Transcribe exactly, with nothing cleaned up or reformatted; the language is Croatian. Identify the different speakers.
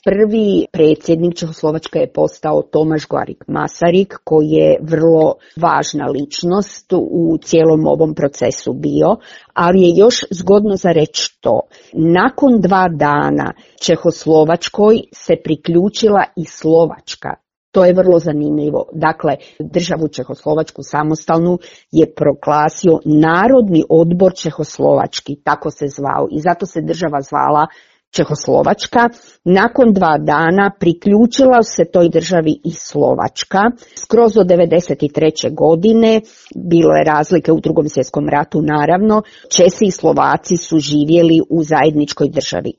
Speaker 1: Prvi predsjednik Čehoslovačke je postao Tomaš Garrigue Masaryk, koji je vrlo važna ličnost u cijelom ovom procesu bio, ali je još zgodno za reći to. Nakon dva dana Čehoslovačkoj se priključila i Slovačka. To je vrlo zanimljivo. Dakle, državu Čehoslovačku samostalnu je proglasio Narodni odbor Čehoslovački, tako se zvao, i zato se država zvala Čehoslovačka. Nakon dva dana priključila se toj državi i Slovačka. Skroz do devedeset treće godine, bilo je razlike u Drugom svjetskom ratu naravno, Česi i Slovaci su živjeli u zajedničkoj državi.